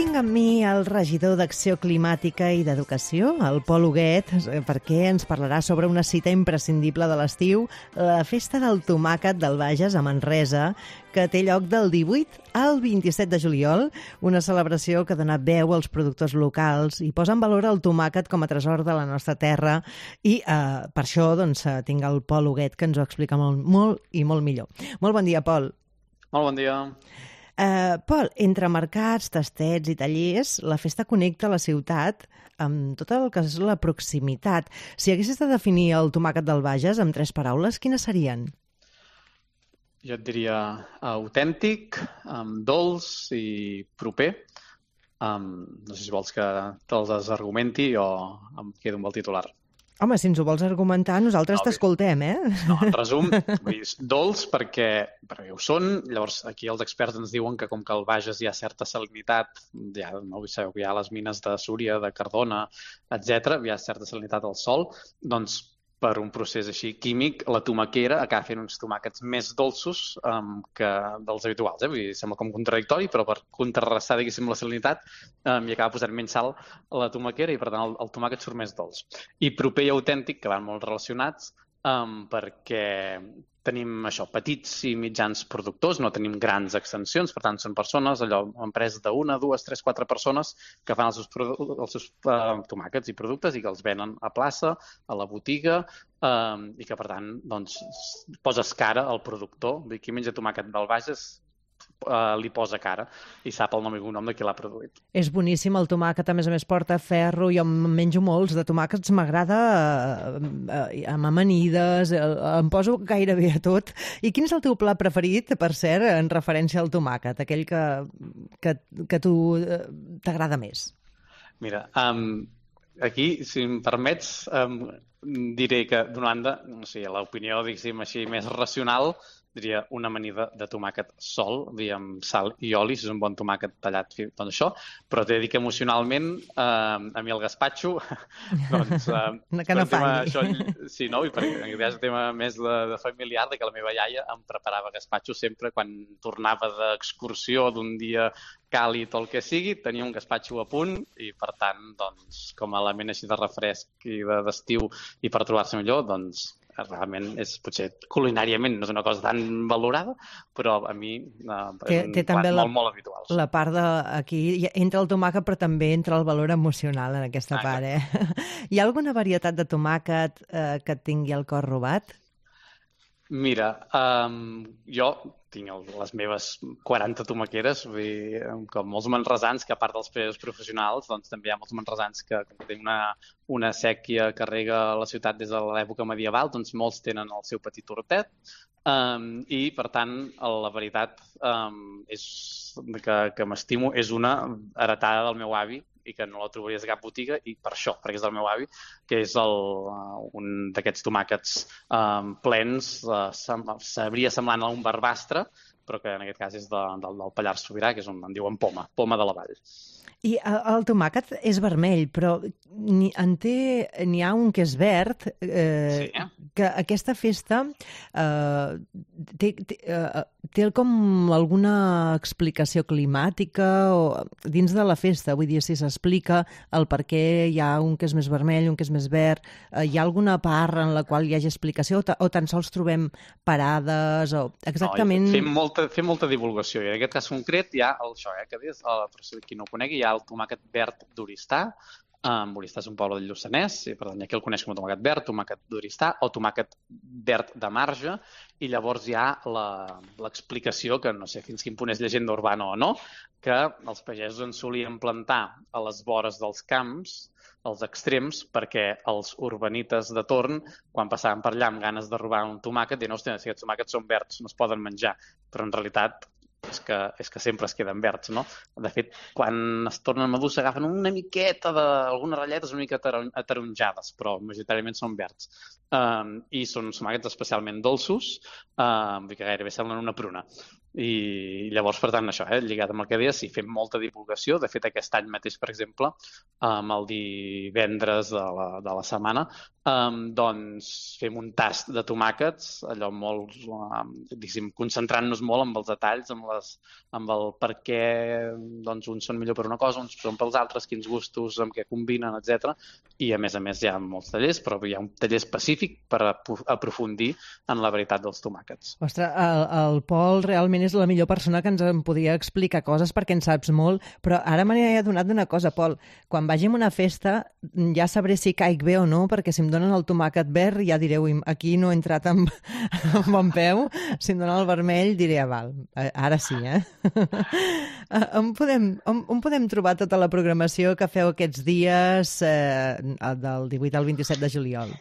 tinc amb mi el regidor d'Acció Climàtica i d'Educació, el Pol Huguet, perquè ens parlarà sobre una cita imprescindible de l'estiu, la Festa del Tomàquet del Bages a Manresa, que té lloc del divuit al vint-i-set de juliol, una celebració que dona veu als productors locals i posa en valor el tomàquet com a tresor de la nostra terra i eh, per això doncs, tinc el Pol Huguet que ens ho explica molt, molt i molt millor. Molt bon dia, Pol. Molt bon dia. Uh, Pol, entre mercats, tastets i tallers, la festa connecta la ciutat amb tot el que és la proximitat. Si haguessis de definir el tomàquet del Bages amb tres paraules, quines serien? Jo et diria autèntic, um, dolç i proper. Um, no sé si vols que te'ls desargumenti o em quedo amb el titular. Home, si ens ho vols argumentar, nosaltres no, t'escoltem, eh? No, en resum, vull dir, dolç perquè, perquè ho són, llavors aquí els experts ens diuen que com que al Bages hi ha certa salinitat, ja, no sabeu que hi ha les mines de Súria, de Cardona, etcètera, hi ha certa salinitat al sòl, doncs per un procés així químic, la tomaquera acaba fent uns tomàquets més dolços um, que dels habituals. Eh? Vull dir, sembla com contradictori, però per contrarrestar, diguéssim, la salinitat, um, hi acaba posant menys sal a la tomaquera i, per tant, el, el tomàquet surt més dolç. I proper i autèntic, que van molt relacionats, um, perquè tenim això, petits i mitjans productors, no tenim grans extensions, per tant, són persones, allò, empreses d'una, dues, tres, quatre persones que fan els seus, els seus uh, tomàquets i productes i que els venen a plaça, a la botiga, um, i que, per tant, doncs, poses cara al productor. Vull dir, qui menja tomàquet del Bages Uh, li posa cara i sap el nom i cognom de qui l'ha produït. És boníssim el tomàquet, a més a més porta ferro, jo em menjo molts de tomàquets, m'agrada uh, uh, amb amanides, uh, em poso gairebé a tot. I quin és el teu plat preferit, per cert, en referència al tomàquet, aquell que, que, que tu uh, t'agrada més? Mira, um, aquí, si em permets, um, diré que, d'una banda, no sé, l'opinió, diguéssim així, més racional, diria una amanida de tomàquet sol, amb sal i oli, si és un bon tomàquet tallat, doncs això, però t'he de dir que emocionalment, eh, a mi el gaspatxo, doncs... Eh, que no falli. Això, sí, no? I perquè és un tema més de, de familiar, de que la meva iaia em preparava gaspatxo sempre quan tornava d'excursió d'un dia càlid o el que sigui, tenia un gaspatxo a punt i, per tant, doncs, com a element així de refresc i d'estiu i per trobar-se millor, doncs, realment és potser culinàriament no és una cosa tan valorada, però a mi eh, té, és un té plat la, molt, molt habitual. La part de, aquí entra el tomàquet, però també entra el valor emocional en aquesta ah, part. Eh? Hi ha alguna varietat de tomàquet eh, que et tingui el cor robat? Mira, um, jo tinc el, les meves quaranta tomaqueres, vull dir, com molts manresans, que a part dels pagesos professionals, doncs també hi ha molts manresans que, que tenen una, una sèquia que rega la ciutat des de l'època medieval, doncs molts tenen el seu petit hortet, um, i per tant la veritat um, és que, que m'estimo és una heretada del meu avi, i que no la trobaries a cap botiga, i per això, perquè és del meu avi, que és el, un d'aquests tomàquets um, plens, uh, sabria semblant a un barbastre, però que en aquest cas és de, del, del Pallars Sobirà, que és on en diuen poma, poma de la vall. I el tomàquet és vermell, però n'hi n'hi ha un que és verd, eh, sí. que aquesta festa eh, té, té, eh, té com alguna explicació climàtica o dins de la festa, vull dir, si s'explica el per què hi ha un que és més vermell, un que és més verd, eh, hi ha alguna part en la qual hi hagi explicació o, ta, o tan sols trobem parades o exactament... No, fem, molta, fem molta divulgació i en aquest cas concret hi ha el, això, eh, que des, el, per qui no ho conegui, hi ha el tomàquet verd d'Oristà. Um, Oristà és un poble del Lluçanès, i per tant aquí el coneix com a tomàquet verd, tomàquet d'Oristà o tomàquet verd de marge, i llavors hi ha l'explicació, que no sé fins quin punt és llegenda urbana o no, que els pagesos en solien plantar a les vores dels camps, als extrems, perquè els urbanites de torn, quan passaven per allà amb ganes de robar un tomàquet, diuen, hòstia, si aquests tomàquets són verds, no es poden menjar, però en realitat és que, és que sempre es queden verds, no? De fet, quan es tornen madurs s'agafen una miqueta d'algunes ratlletes una mica ataronjades, però majoritàriament són verds. Um, I són tomàquets especialment dolços, um, que gairebé semblen una pruna. I llavors, per tant, això, eh, lligat amb el que deies, sí, fem molta divulgació. De fet, aquest any mateix, per exemple, um, el divendres de la, de la setmana, um, doncs fem un tast de tomàquets, allò molt, um, diguéssim, concentrant-nos molt amb els detalls, amb, les, amb el per què doncs, uns són millor per una cosa, uns són pels altres, quins gustos, amb què combinen, etcètera. I, a més a més, hi ha molts tallers, però hi ha un taller específic per aprofundir en la veritat dels tomàquets. Ostres, el, el Pol realment és la millor persona que ens en podia explicar coses perquè en saps molt, però ara me n'he adonat d'una cosa, Pol. Quan vagi a una festa ja sabré si caic bé o no, perquè si em donen el tomàquet verd ja direu, aquí no he entrat amb, amb bon peu, si em donen el vermell diré, ah, val, ara sí, eh? On podem, on, on podem trobar tota la programació que feu aquests dies eh, del divuit al vint-i-set de juliol?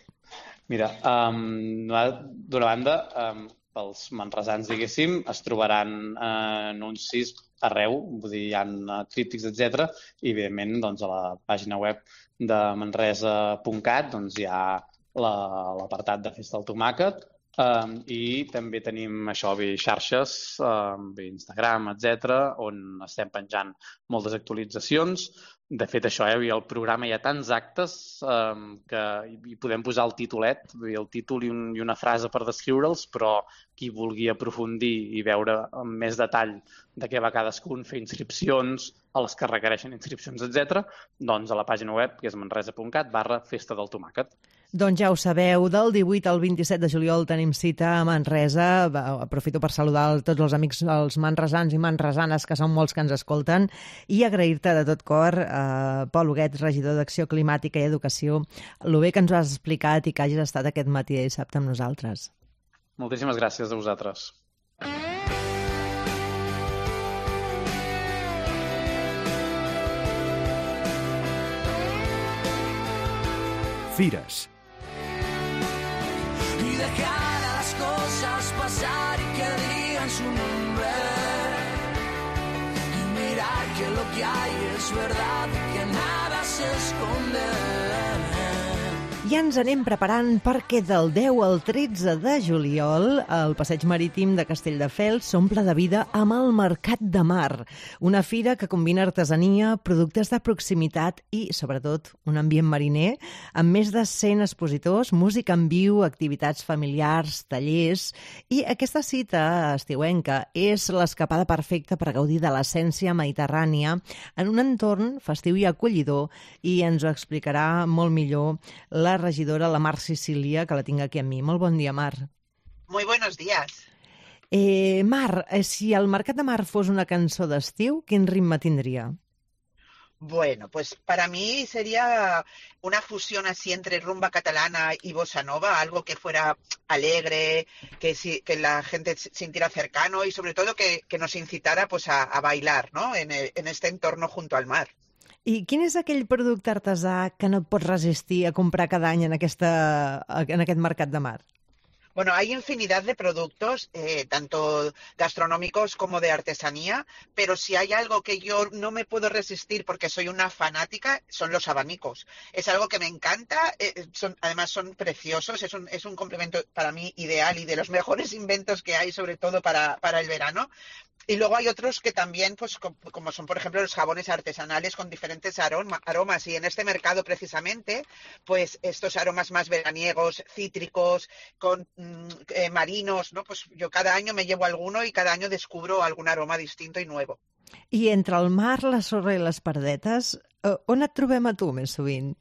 Mira, um, d'una banda, um, pels manresans, diguéssim, es trobaran eh, anuncis arreu, vull dir, hi ha tríptics, etcètera, i, evidentment, doncs, a la pàgina web de manresa punt cat doncs, hi ha l'apartat de Festa del Tomàquet, um, i també tenim això, bé, xarxes, um, bé, Instagram, etcètera, on estem penjant moltes actualitzacions. De fet, això, eh, el programa hi ha tants actes eh, que hi podem posar el titulet, el títol i, un, i una frase per descriure'ls, però qui vulgui aprofundir i veure amb més detall de què va cadascun, fer inscripcions, a les que requereixen inscripcions, etcètera, doncs a la pàgina web, que és manresa punt cat barra Festa del Tomàquet. Doncs ja ho sabeu, del divuit al vint-i-set de juliol tenim cita a Manresa. Aprofito per saludar tots els amics, els manresans i manresanes, que són molts que ens escolten, i agrair-te de tot cor, eh, Pol Huguet, regidor d'Acció Climàtica i Educació, el bé que ens ho has explicat i que hagis estat aquest matí de dissabte amb nosaltres. Moltíssimes gràcies a vosaltres. Fires. Y dejar a las cosas pasar y que digan su nombre y mirar que lo que hay es verdad y que nada se esconde. I ens anem preparant perquè del deu al tretze de juliol el passeig marítim de Castelldefels s'omple de vida amb el Mercat de Mar, una fira que combina artesania, productes de proximitat i, sobretot, un ambient mariner amb més de cent expositors, música en viu, activitats familiars, tallers, i aquesta cita estiuenca és l'escapada perfecta per gaudir de l'essència mediterrània en un entorn festiu i acollidor, i ens ho explicarà molt millor la regidora, la Mar Sicília, que la tinc aquí amb mi. Molt bon dia, Mar. Muy buenos días. Eh, Mar, eh, si el Mercat de Mar fos una cançó d'estiu, quin ritme tindria? Bueno, pues para mí sería una fusión así entre rumba catalana y bossa nova, algo que fuera alegre, que, si, que la gente sintiera cercano y sobre todo que, que nos incitara pues a, a bailar, ¿no? En, el, en este entorno junto al mar. I quin és aquell producte artesà que no et pots resistir a comprar cada any en, aquesta, en aquest Mercat de Mar? Bueno, hay infinidad de productos, eh, tanto gastronómicos como de artesanía, pero si hay algo que yo no me puedo resistir porque soy una fanática, son los abanicos. Es algo que me encanta, eh, son, además son preciosos, es un, es un complemento para mí ideal y de los mejores inventos que hay, sobre todo para, para el verano. Y luego hay otros que también, pues como son, por ejemplo, los jabones artesanales con diferentes aroma, aromas. Y en este mercado, precisamente, pues estos aromas más veraniegos, cítricos, con mm, eh, marinos, ¿no? Pues yo cada año me llevo alguno y cada año descubro algún aroma distinto y nuevo. I entre el mar, la sorra i les pardetes, on et trobem a tu més sovint?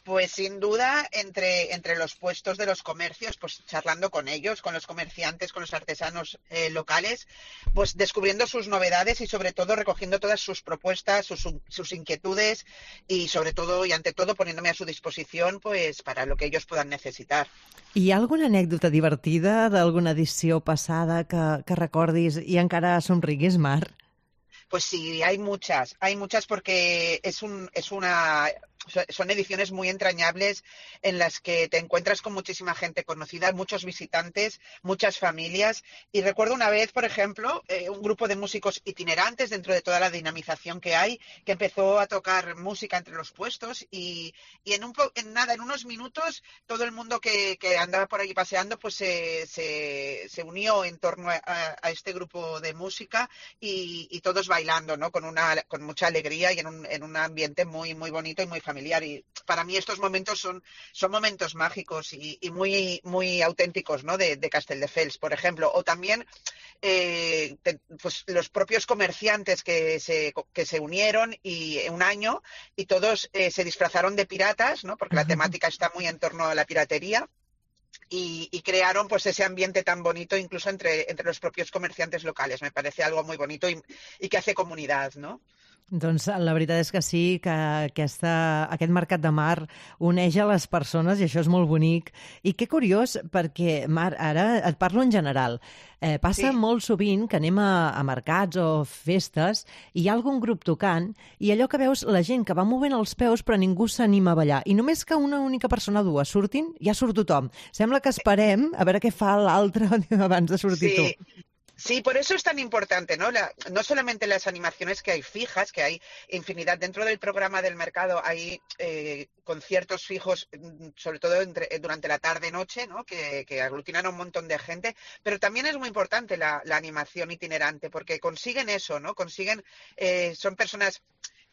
Pues sin duda entre, entre los puestos de los comercios, pues charlando con ellos, con los comerciantes, con los artesanos eh, locales, pues descubriendo sus novedades y sobre todo recogiendo todas sus propuestas, sus, sus inquietudes y sobre todo y ante todo poniéndome a su disposición pues para lo que ellos puedan necesitar. Hi ha alguna anècdota divertida d'alguna edició passada que, que recordis i encara somriguis, Mar? Pues sí, hay muchas, hay muchas porque es un, es una, son ediciones muy entrañables en las que te encuentras con muchísima gente conocida, muchos visitantes, muchas familias. Y recuerdo una vez, por ejemplo, eh, un grupo de músicos itinerantes dentro de toda la dinamización que hay, que empezó a tocar música entre los puestos y, y en, un po en nada, en unos minutos, todo el mundo que, que andaba por allí paseando pues se, se, se unió en torno a, a este grupo de música y, y todos bailando, ¿no? Con, una, con mucha alegría y en un, en un ambiente muy, muy bonito y muy familiar. Y para mí estos momentos son, son momentos mágicos y, y muy, muy auténticos, ¿no? de, de Castelldefels, por ejemplo. O también eh, te, pues, los propios comerciantes que se, que se unieron y un año y todos eh, se disfrazaron de piratas, ¿no? Porque la temática está muy en torno a la piratería. Y, y crearon pues ese ambiente tan bonito incluso entre, entre los propios comerciantes locales. Me parece algo muy bonito i, i que hace comunitat, no? Doncs la veritat és que sí, que aquesta, aquest mercat de mar uneix a les persones i això és molt bonic. I que curiós, perquè, Mar, ara et parlo en general. Eh, passa sí. molt sovint que anem a, a mercats o festes i hi ha algun grup tocant i allò que veus la gent que va movent els peus però ningú s'anima a ballar. I només que una única persona o dues surtin, ja surt tothom. Sembla que esperem a veure què fa l'altre abans de sortir sí. tu. Sí, por eso es tan importante, ¿no? La, no solamente las animaciones que hay fijas, que hay infinidad. Dentro del programa del mercado hay eh, conciertos fijos, sobre todo entre, durante la tarde-noche, ¿no? Que, que aglutinan a un montón de gente. Pero también es muy importante la, la animación itinerante, porque consiguen eso, ¿no? Consiguen, eh, son personas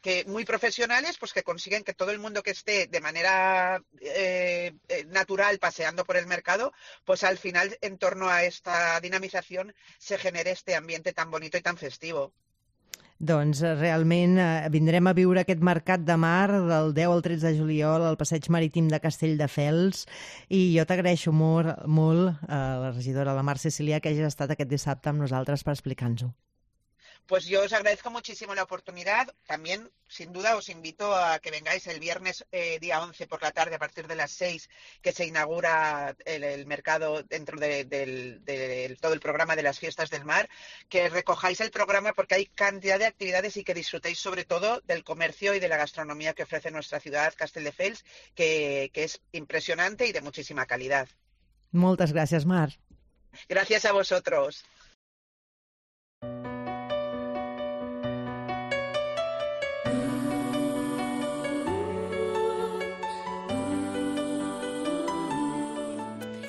que muy profesionales, pues que consiguen que todo el mundo que esté de manera eh, natural paseando por el mercado, pues al final en torno a esta dinamización se genere este ambiente tan bonito y tan festivo. Doncs realment eh, vindrem a viure aquest mercat de mar del deu al tretze de juliol al passeig marítim de Castelldefels i jo t'agraeixo molt, molt a la regidora, la Mar Cecilià, que hagi estat aquest dissabte amb nosaltres per explicar-nos-ho. Pues yo os agradezco muchísimo la oportunidad. También, sin duda, os invito a que vengáis el viernes eh, día once por la tarde a partir de las seis, que se inaugura el, el mercado dentro de, de, de, de todo el programa de las fiestas del mar, que recojáis el programa porque hay cantidad de actividades y que disfrutéis sobre todo del comercio y de la gastronomía que ofrece nuestra ciudad, Castelldefels, que, que es impresionante y de muchísima calidad. Moltes gràcies, Mar. Gracias a vosotros.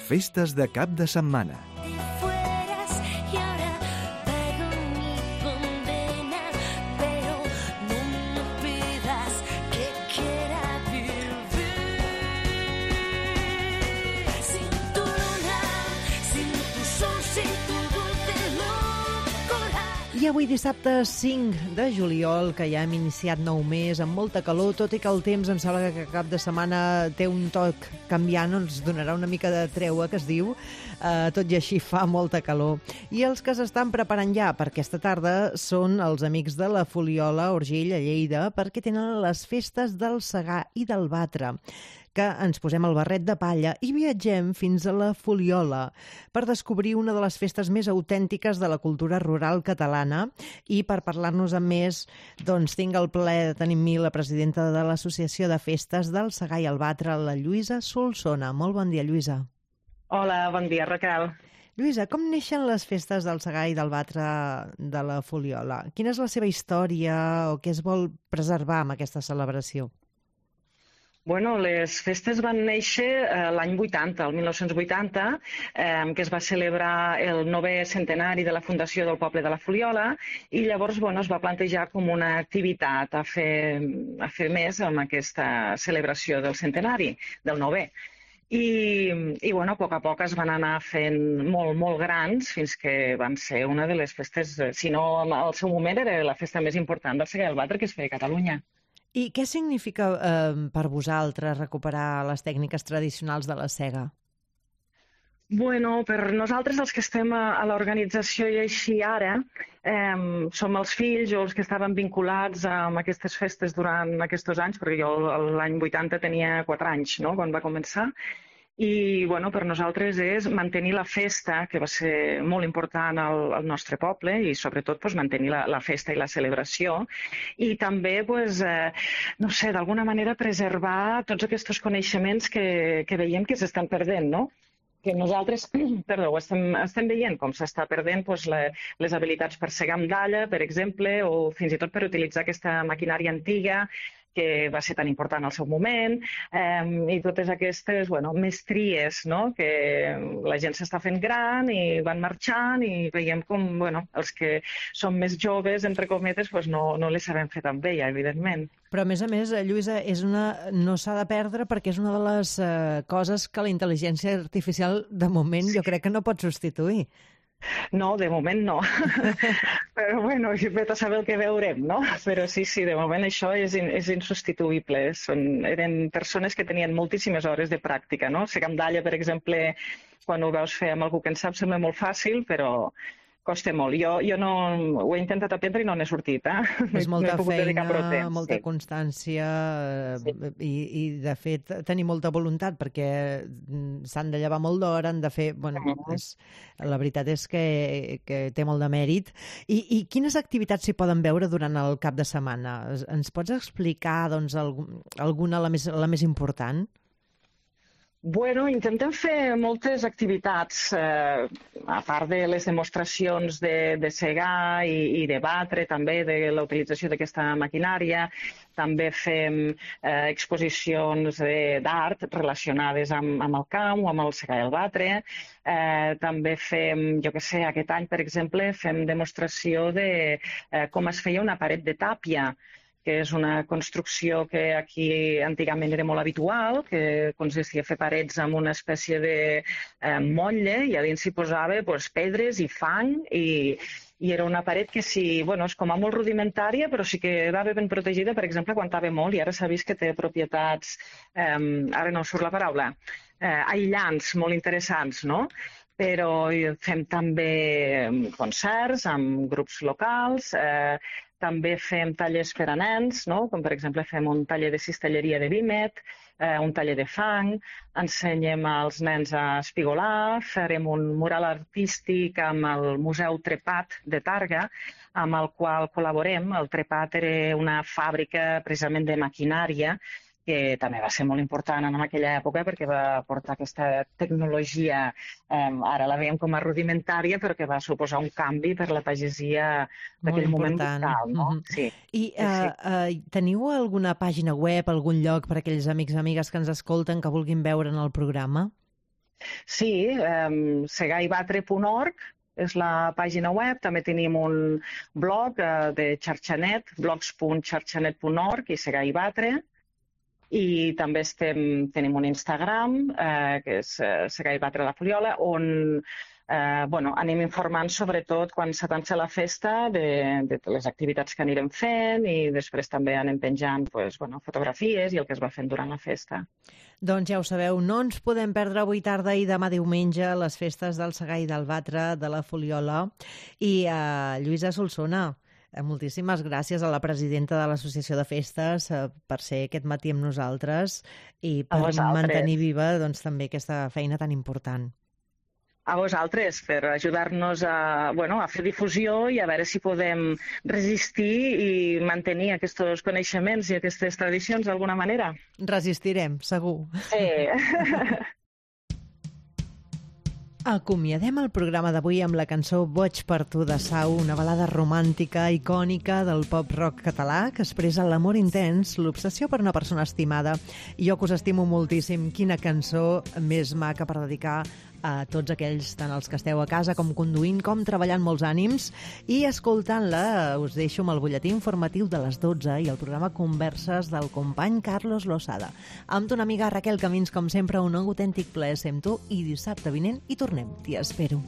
Festes de cap de setmana. I avui dissabte cinc de juliol, que ja hem iniciat nou mes, amb molta calor, tot i que el temps em sembla que cap de setmana té un toc canviant, ens donarà una mica de treua, que es diu, eh, tot i així fa molta calor. I els que s'estan preparant ja per aquesta tarda són els amics de la Fuliola Urgell a Lleida, perquè tenen les festes del Segar i del Batre, que ens posem el barret de palla i viatgem fins a la Fuliola per descobrir una de les festes més autèntiques de la cultura rural catalana. I per parlar-nos amb més, doncs tinc el plaer de tenir amb mi la presidenta de l'Associació de Festes del Segar i el Batre, la Lluïsa Solsona. Molt bon dia, Lluïsa. Hola, bon dia, Raquel. Lluïsa, com neixen les festes del Segar i del Batre de la Fuliola? Quina és la seva història o què es vol preservar amb aquesta celebració? Bueno, les festes van néixer eh, l'any vuitanta, el mil nou-cents vuitanta, eh, que es va celebrar el novè centenari de la fundació del poble de la Fuliola i llavors bueno, es va plantejar com una activitat a fer, a fer més amb aquesta celebració del centenari, del novè. I, i bueno, a poc a poc es van anar fent molt, molt grans fins que van ser una de les festes, si no al seu moment era la festa més important del Segar i el Batre que es feia a Catalunya. I què significa eh, per vosaltres recuperar les tècniques tradicionals de la sega? Bueno, per nosaltres els que estem a, a l'organització i així ara, eh, som els fills o els que estaven vinculats amb aquestes festes durant aquests anys, perquè jo l'any vuitanta tenia quatre anys, no?, quan va començar, I bueno, per nosaltres és mantenir la festa, que va ser molt important al, al nostre poble, i sobretot pues, mantenir la, la festa i la celebració, i també pues, eh, no sé, d'alguna manera preservar tots aquests coneixements que, que veiem que s'estan perdent, no? Que nosaltres, perdó, estem, estem veient com s'està perdent pues, la, les habilitats per segar amb dalla, per exemple, o fins i tot per utilitzar aquesta maquinària antiga que va ser tan important al seu moment, eh, i totes aquestes bueno, mestries, no? Que la gent s'està fent gran i van marxant i veiem com bueno, els que som més joves, entre cometes, pues no, no les sabem fer tan bé, ja, evidentment. Però, a més a més, Lluïsa, és una... no s'ha de perdre perquè és una de les eh, coses que la intel·ligència artificial, de moment, jo crec que no pot substituir. No, de moment no. Però, bueno, vet a saber el que veurem, no? Però sí, sí, de moment això és, in, és insubstituïble. Són, eren persones que tenien moltíssimes hores de pràctica, no? Segar amb dalla, per exemple, quan ho veus fer amb algú que en sap, sembla molt fàcil, però costa molt. Jo, jo no, ho he intentat aprendre i no n'he sortit, eh? És molta no feina, temps, molta sí. constància Sí. i, i, de fet, tenir molta voluntat perquè s'han de llevar molt d'hora, han de fer... Bueno, és, la veritat és que, que té molt de mèrit. I, I quines activitats s'hi poden veure durant el cap de setmana? Ens pots explicar doncs, alguna, la més, la més important? Bueno, intentem fer moltes activitats, eh, a part de les demostracions de, de segar i, i de batre, també de la utilització d'aquesta maquinària. També fem eh, exposicions d'art relacionades amb, amb el camp o amb el segar i el batre. Eh, també fem, jo què sé, aquest any, per exemple, fem demostració de eh, com es feia una paret de tàpia, que és una construcció que aquí antigament era molt habitual, que consistia a fer parets amb una espècie de eh, motlle i a dins s'hi posava pues, pedres i fang i, i era una paret que sí, bueno, és com a molt rudimentària, però sí que quedava ben protegida, per exemple, aguantava molt i ara s'ha vist que té propietats, eh, ara no surt la paraula, eh, aïllants molt interessants, no? Però fem també concerts amb grups locals, eh, també fem tallers per a nens, no? Com per exemple fem un taller de cistelleria de vímet, eh, un taller de fang, ensenyem als nens a espigolar, farem un mural artístic amb el Museu Trepat de Targa, amb el qual col·laborem. El Trepat era una fàbrica precisament de maquinària, que també va ser molt important en aquella època perquè va portar aquesta tecnologia, eh, ara la veiem com a rudimentària, però que va suposar un canvi per la pagesia d'aquell moment vital. No? Mm-hmm. Sí. I uh, sí. uh, teniu alguna pàgina web, algun lloc per a aquells amics i amigues que ens escolten que vulguin veure en el programa? Sí, eh, segar i batre punt org és la pàgina web. També tenim un blog eh, de xarxanet, blogs punt xarxanet punt org i segar i batre. I també estem, tenim un Instagram, eh, que és eh, Segar i Batre la Fuliola, on eh, bueno, anem informant sobretot quan s'atança la festa de, de les activitats que anirem fent i després també anem penjant pues, bueno, fotografies i el que es va fent durant la festa. Doncs ja ho sabeu, no ens podem perdre avui tarda i demà diumenge les festes del Segar i del Batre de la Fuliola. I eh, Lluïsa Solsona, moltíssimes gràcies a la presidenta de l'Associació de Festes per ser aquest matí amb nosaltres i per mantenir viva doncs, també aquesta feina tan important. A vosaltres, per ajudar-nos a, bueno, a fer difusió i a veure si podem resistir i mantenir aquests coneixements i aquestes tradicions d'alguna manera. Resistirem, segur. Sí. Acomiadem el programa d'avui amb la cançó Boig per tu de Sau, una balada romàntica, icònica del pop-rock català que expressa l'amor intens, l'obsessió per una persona estimada. I jo que us estimo moltíssim, quina cançó més maca per dedicar a tots aquells, tant els que esteu a casa com conduint, com treballant molts ànims. I escoltant-la us deixo amb el butlletí informatiu de les dotze i el programa Converses del company Carlos Losada. Amb ton amiga Raquel Camins, com sempre, un autèntic plaer ser amb tu i dissabte vinent hi tornem. T'hi espero.